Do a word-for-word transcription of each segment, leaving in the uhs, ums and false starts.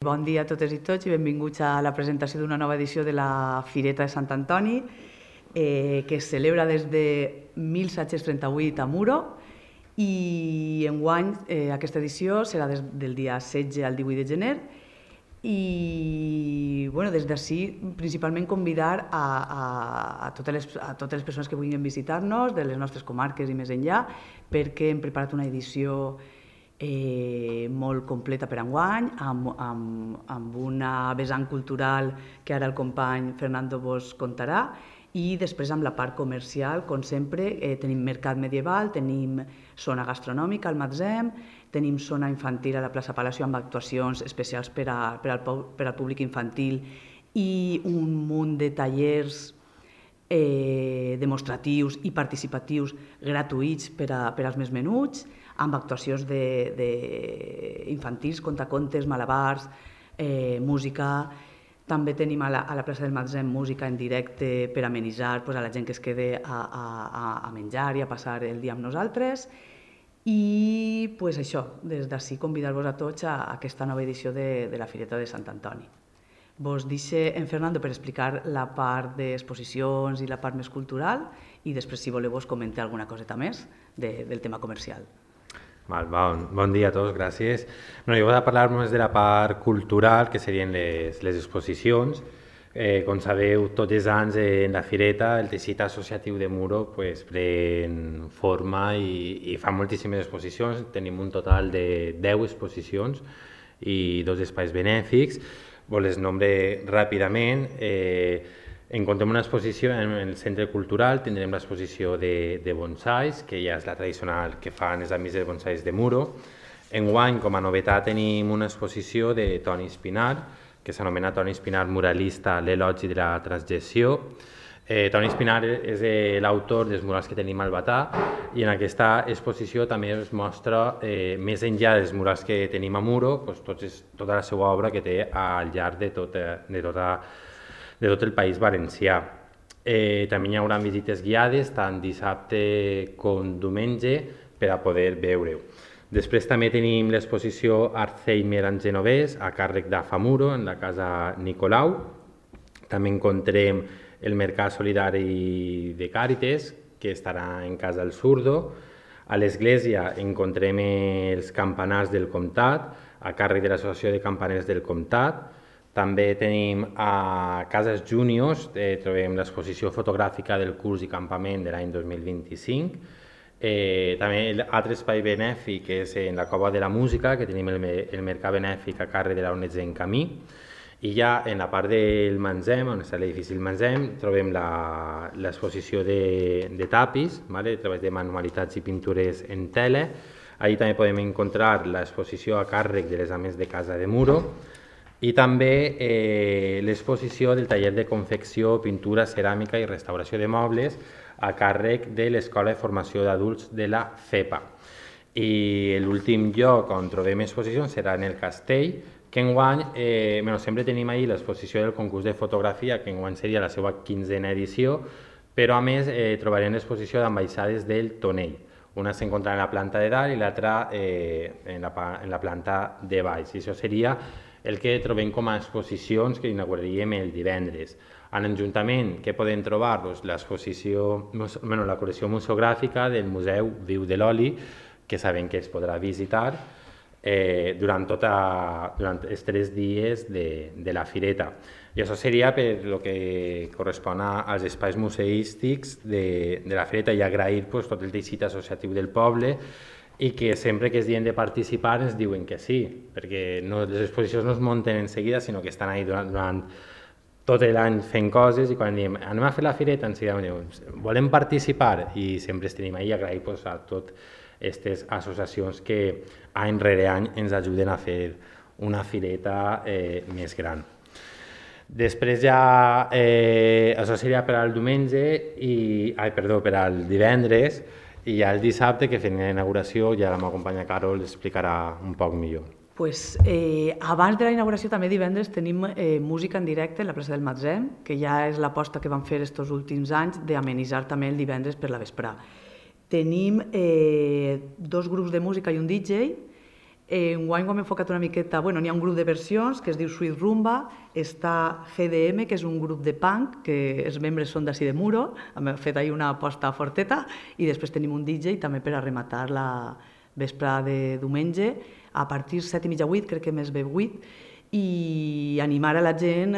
Bon dia a totes i tots i benvinguts a la presentació d'una nova edició de la Fireta de Sant Antoni, eh, que es celebra des de mil set-cents trenta-vuit a Muro, i enguany eh, aquesta edició serà des del dia setze al divuit de gener. I bueno, des d'ací principalment convidar a, a, a, totes les, a totes les persones que vulguin visitar-nos de les nostres comarques i més enllà, perquè hem preparat una edició Eh, molt completa per enguany, amb, amb, amb una vessant cultural que ara el company Fernando vos contarà, i després amb la part comercial, com sempre, eh, tenim mercat medieval, tenim zona gastronòmica al Matzem, tenim zona infantil a la plaça Palacio amb actuacions especials per, a, per, al, per al públic infantil i un munt de tallers eh, demostratius i participatius gratuïts per, a, per als més menuts, amb actuacions de, de infantils, contacontes, malabars, eh, música. També tenim a la, a la plaça del Matzem música en directe per amenitzar pues, a la gent que es quede a, a, a menjar i a passar el dia amb nosaltres. I pues, això, des d'ací convidar-vos a tots a, a aquesta nova edició de, de la Fireta de Sant Antoni. Vos deixo en Fernando per explicar la part d'exposicions i la part més cultural i després, si voleu, vos comentar alguna coseta més de, del tema comercial. Val, bon, bon dia a tots, gràcies. No, jo voy a parlar més de la part cultural, que serien les, les exposicions. Eh, com sabeu, tots els anys en la Fireta el teixit associatiu de Muro pues, pren forma i, i fa moltíssimes exposicions. Tenim un total de deu exposicions i dos espais benèfics. Vos les nombre ràpidament. Eh, En contem una exposició en el Centre Cultural, tindrem l'exposició de, de bonsais, que ja és la tradicional que fan els amics de bonsais de Muro. Enguany, com a novetat, tenim una exposició de Toni Espinar, que s'anomena Toni Espinar Muralista, l'elogi de la transgressió. Eh, Toni Espinar és l'autor dels murals que tenim al Batà, i en aquesta exposició també es mostra, eh, més enllà dels murals que tenim a Muro, doncs, tot és, tota la seva obra que té al llarg de tota, de tota de tot el País Valencià. Eh, també hi haurà visites guiades, tant dissabte com diumenge, per a poder veure-ho. Després també tenim l'exposició Alzheimer en genovès, a càrrec d'Afamuro, en la casa Nicolau. També encontrem el Mercat Solidari de Càrites, que estarà en Casa del Surdo. A l'església encontrem els campanars del Comtat, a càrrec de l'Associació de Campaners del Comtat. També tenim a Cases Juniors, eh, trobem l'exposició fotogràfica del curs i campament de l'any dos mil vint-i-cinc. Eh, també l'altre espai benèfic és en la Cova de la Música, que tenim el, el mercat benèfic a càrrec de la O N G en Camí. I ja en la part del Matzem, on està l'edifici del Matzem, trobem l'exposició de, de tapis, vale? Treballs de manualitats i pintures en tela. Allí també podem encontrar l'exposició a càrrec de les ames de Casa de Muro. I també eh, l'exposició del taller de confecció, pintura, ceràmica i restauració de mobles a càrrec de l'Escola de Formació d'Adults de la FEPA. I l'últim lloc on trobem exposicions serà en el Castell, que enguany, eh, bueno, sempre tenim ahir l'exposició del concurs de fotografia, que enguany seria la seva quinzena edició, però a més eh, trobarem l'exposició d'ambaixades del Tonell. Una s'encontrarà en la planta de dalt i l'altra eh, en, la, en la planta de baix. I això seria el que trobem com a exposicions que inauguraríem el divendres. A l'Ajuntament, què podem trobar? Doncs l'exposició, bueno, la col·lecció museogràfica del Museu Viu de l'Oli, que sabem que es podrà visitar eh, durant, tota, durant els tres dies de, de la Fireta. I això seria per el que correspon als espais museístics de, de la Fireta, i agrair pues, tot el teixit associatiu del poble, i que sempre que es diuen de participar ens diuen que sí, perquè no, les exposicions no es munten en seguida, sinó que estan ahí durant, durant tot l'any fent coses, i quan diem anem a fer la Fireta, ens diuen volem participar, i sempre es tenim ahí a agrair pues, a totes aquestes associacions que any rere any ens ajuden a fer una Fireta eh, més gran. Després ja, eh, això seria per al diumenge, i, ai, perdó, per al divendres, i ja el dissabte, que fem la inauguració, ja la meva companya Carol explicarà un poc millor. Pues, eh, abans de la inauguració, també divendres, tenim eh, música en directe a la plaça del Matzem, que ja és l'aposta que van fer aquests últims anys d'amenitzar també el divendres per la vesprà. Tenim eh, dos grups de música i un D J, Enguany ho hem enfocat una miqueta, bueno, n'hi ha un grup de versions que es diu Sweet Rumba, està G D M, que és un grup de punk, que els membres són d'ací de Muro, hem fet ahí una aposta forteta, i després tenim un D J també per a rematar la vespre de diumenge, a partir set i mitja, vuit, crec que més bé vuit, i animar a la gent,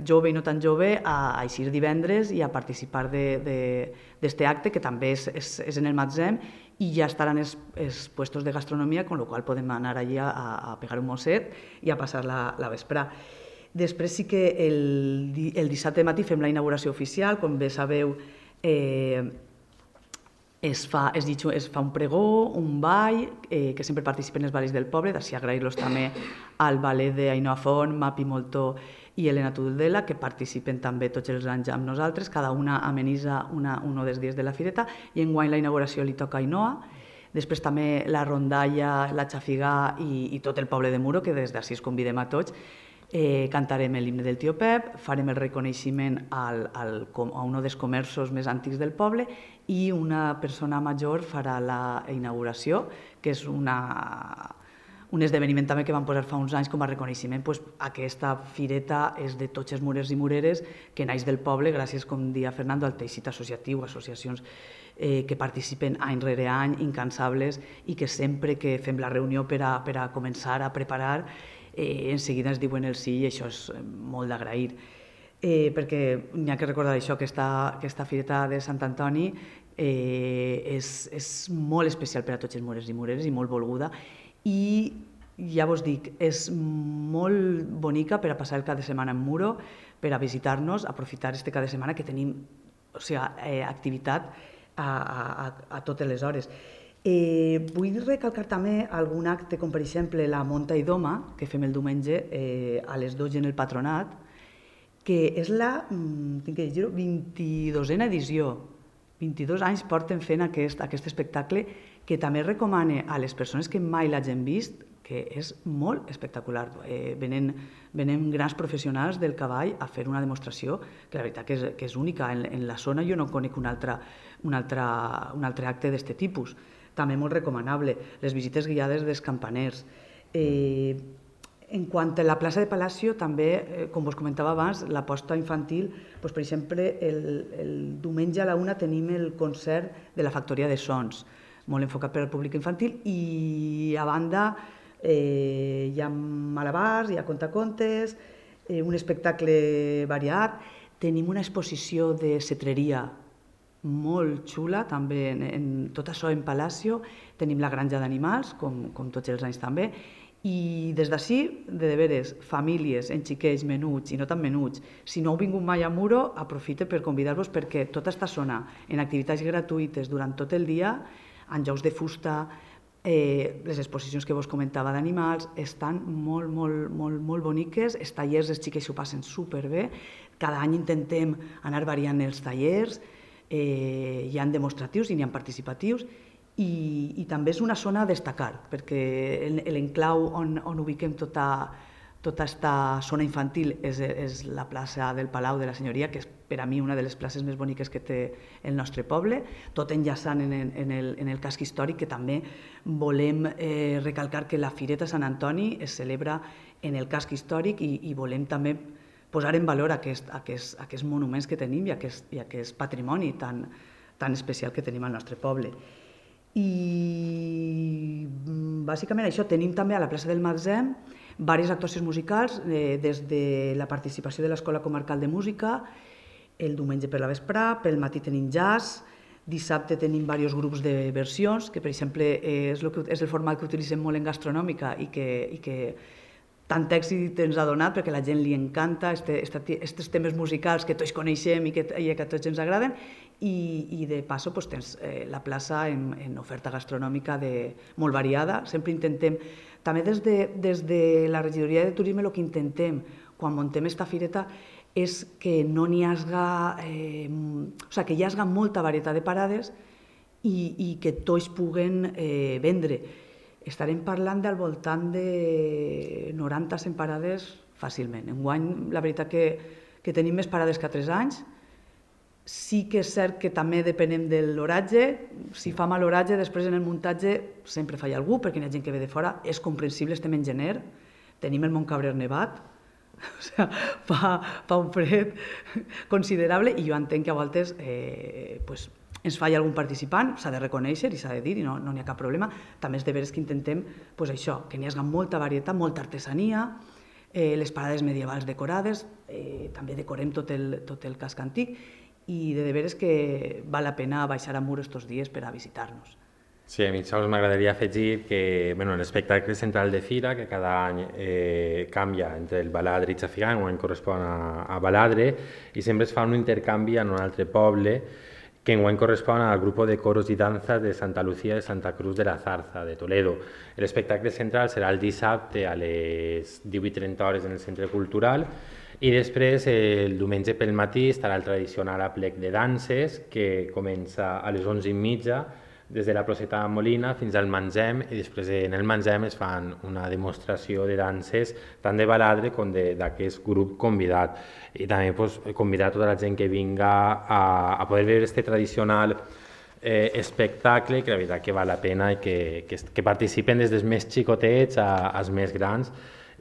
jove i no tan jove, a eixir divendres i a participar d'aquest acte, que també és, és, és en el Matzem, i ja estaran els, els puestos de gastronomia, con lo qual podem anar allí a, a pegar un mosset i a passar la, la vesprà. Després sí que el, el dissabte matí fem la inauguració oficial, com bé sabeu, eh, es, fa, es, dit, es fa un pregó, un ball, eh, que sempre participen els balls del poble, d'ací agrair-los també al ballet d'Ainoa Font, Mapi Moltó i Elena Tudela, que participen també tots els anys amb nosaltres, cada una amenitza una, un dels dies de la fireta, i enguany la inauguració li toca a Ainoa. Després també la rondalla, la xafigà i, i tot el poble de Muro, que des d'ací es convidem a tots. Eh, cantarem l'himne del tio Pep, farem el reconeixement al, al, a un dels comerços més antics del poble i una persona major farà la inauguració, que és una... un esdeveniment també que vam posar fa uns anys com a reconeixement. Pues, aquesta fireta és de tots els murers i mureres que naix del poble gràcies, com dia Fernando, al teixit associatiu, associacions eh, que participen any rere any, incansables, i que sempre que fem la reunió per a, per a començar a preparar, eh, en seguida ens diuen el sí, i això és molt d'agrair. Eh, perquè n'hi ha que recordar això, que aquesta, aquesta fireta de Sant Antoni eh, és, és molt especial per a tots els murers i mureres i molt volguda, i ja vos dic, és molt bonica per a passar el cap de setmana en Muro, per a visitar-nos, aprofitar este cap de setmana que tenim, o sigui, eh, activitat a, a, a totes les hores. Eh, vull recalcar també algun acte, com per exemple la Monta i Doma, que fem el diumenge eh, a les dotze en el Patronat, que és la, tinc que dir-ho, vint-i-dosena edició. vint-i-dos anys porten fent aquest, aquest espectacle, que també recomane a les persones que mai l'hagin vist, que és molt espectacular. Eh, venen, venen grans professionals del cavall a fer una demostració que la veritat que és, que és única. En, en la zona jo no conec un altre, un altre, un altre acte d'aquest tipus. També molt recomanable. Les visites guiades dels campaners. Eh, en quant a la plaça de Palacio, també, eh, com vos comentava abans, l'aposta infantil, doncs, per exemple, el, el diumenge a la una tenim el concert de la Factoria de Sons, molt enfocat per al públic infantil, i a banda eh, hi ha malabars, hi ha contacontes, eh, un espectacle variat, tenim una exposició de cetreria molt xula, també en, en tot això en Palacio, tenim la granja d'animals, com, com tots els anys també, i des d'ací, de deberes, famílies, en xiquets, menuts i no tan menuts, si no heu vingut mai a Muro, aprofite per convidar-vos perquè tota aquesta zona, en activitats gratuïtes durant tot el dia, en jocs de fusta, eh, les exposicions que vos comentava d'animals, estan molt, molt, molt, molt boniques, els tallers, els xiquets s'ho passen superbé, cada any intentem anar variant els tallers, eh, hi ha demostratius i n'hi ha participatius, i, i també és una zona a destacar, perquè l'enclau on, on ubiquem tota, tota aquesta zona infantil és, és la plaça del Palau de la Senyoria, que és per a mi una de les places més boniques que té el nostre poble, tot enllaçant en, en, el, en el casc històric, que també volem eh, recalcar que la Fireta Sant Antoni es celebra en el casc històric i, i volem també posar en valor aquest, aquest, aquests monuments que tenim i aquest, i aquest patrimoni tan, tan especial que tenim al nostre poble. I bàsicament això, tenim també a la plaça del Matzem diverses actuacions musicals, eh, des de la participació de l'Escola Comarcal de Música, el diumenge per la vesprà, pel matí tenim jazz, dissabte tenim diversos grups de versions, que per exemple és el, que, és el format que utilitzem molt en gastronòmica i que, i que tant èxit ens ha donat perquè a la gent li encanta aquests temes musicals que tots coneixem i que, i que a tots ens agraden, i, i de passo doncs, tens eh, la plaça en, en oferta gastronòmica de, molt variada. Sempre intentem, també des de, des de la regidoria de turisme, el que intentem quan muntem esta fireta és que no n'hi hagi, eh, o sigui, que hi hagi molta varietat de parades i, i que tots puguen eh, vendre. Estarem parlant del voltant de noranta a cent parades fàcilment. Enguany, la veritat que, que tenim més parades que a tres anys, Sí que és cert que també depenem de l'oratge. Si fa mal l'oratge, després en el muntatge sempre falla algú, perquè hi ha gent que ve de fora. És comprensible, estem en gener, tenim el Montcabrer nevat, o sigui, fa, fa un fred considerable i jo entenc que a voltes eh, pues, ens falla algun participant, s'ha de reconèixer i s'ha de dir i no n'hi no ha cap problema. També és de veres que intentem pues, això, que n'hi hagi molta varietat, molta artesania, eh, les parades medievals decorades, eh, també decorem tot el, tot el casc antic, i de veres que val la pena baixar a Muro estos dies per a visitar-nos. Sí, a mi sols m'agradaria afegir que bueno, l'espectacle central de Fira, que cada any eh, canvia entre el Baladre i Xafigà, enguany correspon a, a Baladre, i sempre es fa un intercanvi en un altre poble, que enguany correspon al grup de coros i danzas de Santa Lucía de Santa Cruz de la Zarza, de Toledo. L'espectacle central serà el dissabte a les divuit trenta hores en el Centre Cultural, i després, el diumenge pel matí, estarà el tradicional aplec de danses, que comença a les onze i mitja, des de la Placeta Molina fins al Mangem, i després en el Mangem es fan una demostració de danses, tant de Baladre com d'aquest grup convidat. I també pues, convidar tota la gent que vinga a, a poder veure aquest tradicional eh, espectacle, que la veritat que val la pena i que, que, que participen des dels més xicotets a, als més grans,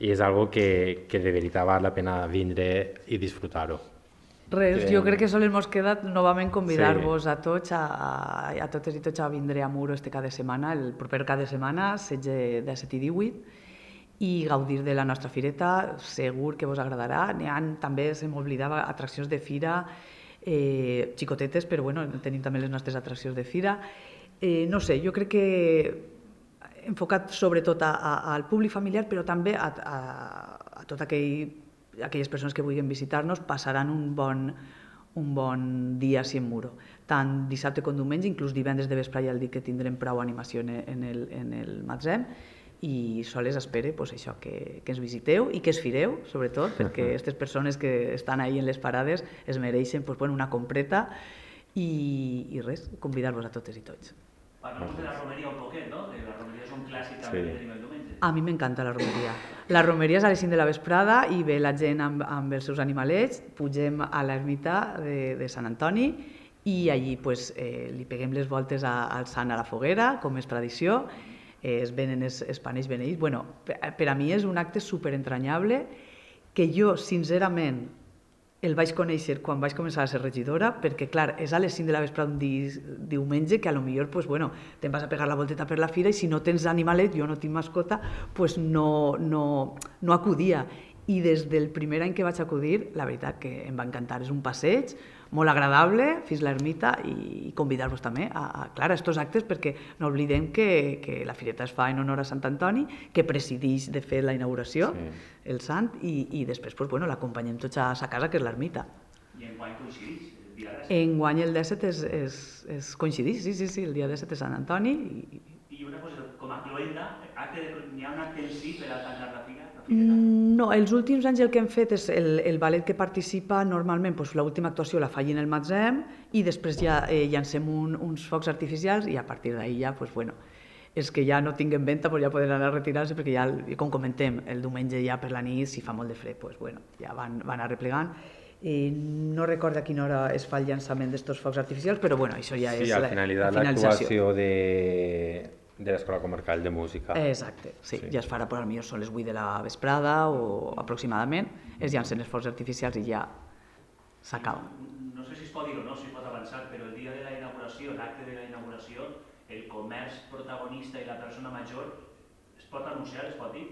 i és algo que, que de veritat val la pena vindre i disfrutar-ho. Res, jo crec que sols ens queda novament convidar-vos Sí. a tots, a, a, a totes i tots a vindre a Muro este cada setmana, el proper cada setmana, setze, disset i divuit, i gaudir de la nostra fireta, segur que vos agradarà. N'hi ha també, se m'oblidava, atraccions de fira, eh, xicotetes, però bueno, tenim també les nostres atraccions de fira. Eh, no sé, jo crec que enfocat sobretot a, a, al públic familiar, però també a, a, a tot aquell, aquelles persones que vulguin visitar-nos passaran un bon, un bon dia així en Muro. Tant dissabte com diumenge, inclús divendres de vespre ja el dic que tindrem prou animació en el, en el Matzem, i sols espero pues, això, que, que ens visiteu i que es fireu, sobretot, perquè aquestes persones que estan ahí en les parades es mereixen pues, bueno, una compreta i, i res, convidar-vos a totes i tots. Parlem de la romeria un poquet, no? De la romeria és un clàssic també que tenim el diumenge. A mi m'encanta la romeria. La romeria és a les cinc de la vesprada i ve la gent amb, amb els seus animalets, pugem a l'ermita de, de Sant Antoni i allí pues, eh, li peguem les voltes a, al sant a la foguera, com és tradició, eh, es venen els, els panells beneïts. Bueno, per, per a mi és un acte superentranyable que jo, sincerament, el vaig conèixer quan vaig començar a ser regidora, perquè, clar, és a les cinc de la vesprada un di diumenge que a lo millor, pues, bueno, te'n vas a pegar la volteta per la fira i si no tens animalet, jo no tinc mascota, pues no, no, no acudia. I des del primer any que vaig acudir, la veritat que em va encantar. És un passeig molt agradable fins l'ermita i convidar-vos també a, a, clar, a estos actes, perquè no oblidem que, que la fireta es fa en honor a Sant Antoni, que presideix de fer la inauguració, sí. el sant, i, i després pues, bueno, l'acompanyem tots a sa casa, que és l'ermita. I enguany coincideix? El dia disset? Enguany el disset és, és, és coincideix, sí, sí, sí, el dia disset és Sant Antoni. I, I una cosa, com a cloenda, n'hi ha un acte en si per a tancar la fira? No, els últims anys el que hem fet és el, el ballet que participa normalment, doncs, l'última actuació la faig en el Matzem i després ja eh, llancem un, uns focs artificials i a partir d'ahir ja, doncs, bueno, els que ja no tinguin venta doncs ja poden anar a retirar-se perquè ja, com comentem, el diumenge ja per la nit, si fa molt de fred, doncs, bueno, ja van, van a replegant. Eh, no recordo a quina hora es fa el llançament d'aquests focs artificials, però bueno, això ja sí, és la, la, finalitat, la finalització. L'actuació de... de l'Escola Comarcal de Música. Exacte, sí, sí. Ja es farà, però potser són les vuit de la vesprada o aproximadament, es llancen els focs artificials i ja s'acaba. No sé si es pot dir o no, si es pot avançar, però el dia de la inauguració, l'acte de la inauguració, el comerç protagonista i la persona major, es pot anunciar, es pot dir?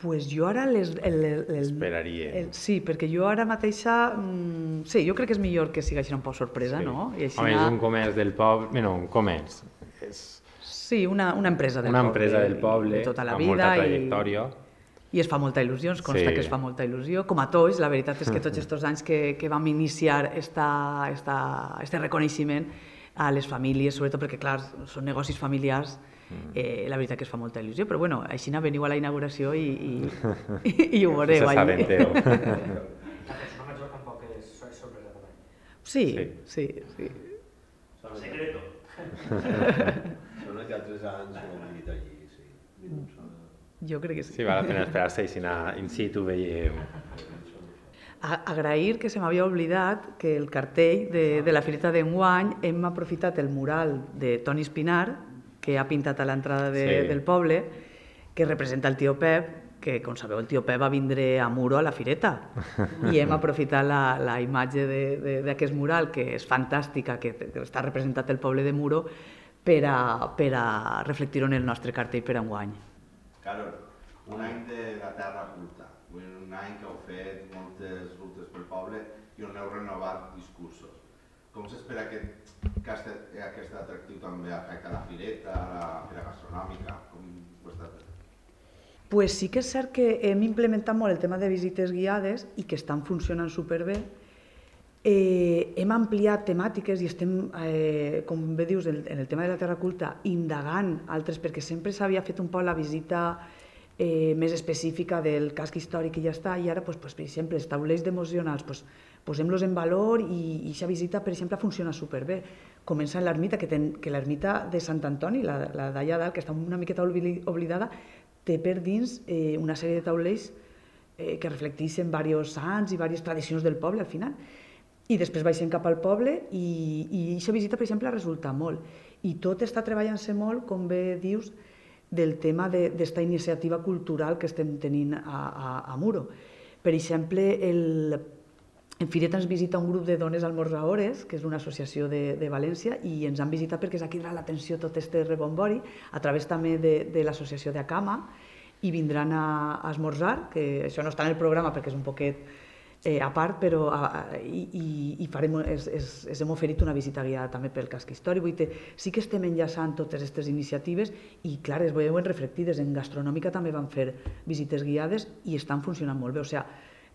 Pues jo ara les... El, el, el, Esperaria. El, sí, perquè jo ara mateixa... Mm, sí, jo crec que és millor que sigui així un poc sorpresa, sí. no? I així Home, és un comerç del poble... Bueno, un comerç. És... Sí, una, una empresa del una poble. Una empresa del poble, de tota la amb vida, molta trajectòria. I, I es fa molta il·lusió, ens consta sí. que es fa molta il·lusió. Com a tots, la veritat és que tots aquests anys que, que vam iniciar esta, esta, este reconeixement a les famílies, sobretot perquè, clar, són negocis familiars, eh, la veritat que es fa molta il·lusió, però bueno, així veniu a la inauguració i, i, i, i ho veureu. Se sabenteu. La persona major tampoc és sorpresa també. Sí, sí, sí. Són secreto. Són els altres anys que hem dit allí, sí. Jo crec que sí. Sí, val la pena esperar-se i si anar in situ veiem. Agrair que se m'havia oblidat que el cartell de, de la Fireta d'enguany hem aprofitat el mural de Toni Espinar, que ha pintat a l'entrada de, sí. del poble, que representa el tio Pep, que, com sabeu, el tio Pep va vindre a Muro a la Fireta. I hem aprofitat la, la imatge d'aquest mural, que és fantàstica, que, que està representat el poble de Muro, per a, per a reflectir-ho en el nostre cartell per enguany. Carol, un any de la Terra Culta, un any que heu fet moltes rutes pel poble i on heu renovat discursos. Com s'espera que, que aquest atractiu també afecta la Fireta, la Fira Gastronòmica? Com ho està fent? Pues sí que és cert que hem implementat molt el tema de visites guiades i que estan funcionant superbé. Eh, hem ampliat temàtiques i estem, eh, com bé dius, en, en el tema de la Terra Culta, indagant altres, perquè sempre s'havia fet un poc la visita eh, més específica del casc històric i ja està, i ara, pues, pues, per exemple, els taulells devocionals, pues, posem-los en valor i aquesta visita, per exemple, funciona superbé. Comença en l'ermita, que, ten, que l'ermita de Sant Antoni, la, la d'allà dalt, que està una miqueta oblidada, té per dins eh, una sèrie de taulells eh, que reflecteixen diversos sants i diverses tradicions del poble al final. I després baixem cap al poble i aquesta visita, per exemple, resulta molt. I tot està treballant-se molt, com bé dius, del tema d'esta iniciativa cultural que estem tenint a, a, a Muro. Per exemple, el, en Fireta ens visita un grup de dones almorzadores, que és una associació de, de València, i ens han visitat perquè s'ha cridat l'atenció tot este rebombori, a través també de, de l'associació d'Acama, i vindran a, a esmorzar, que això no està en el programa perquè és un poquet eh, a part, però a, a, i, i farem, es, es, es hem oferit una visita guiada també pel casc històric. Vull dir, sí que estem enllaçant totes aquestes iniciatives i, clar, es veuen reflectides. En gastronòmica també van fer visites guiades i estan funcionant molt bé. O sigui,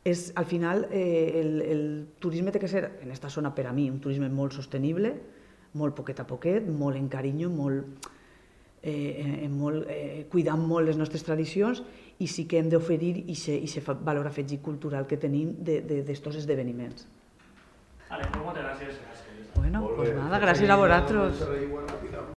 és, al final, eh, el, el turisme té que ser, en aquesta zona, per a mi, un turisme molt sostenible, molt poquet a poquet, molt en carinyo, molt, eh, molt, eh, cuidant molt les nostres tradicions, i sí que hem d'oferir aquest valor afegit cultural que tenim d'estos esdeveniments. Vale, pues moltes gràcies. Bueno, pues nada, gràcies a vosaltres.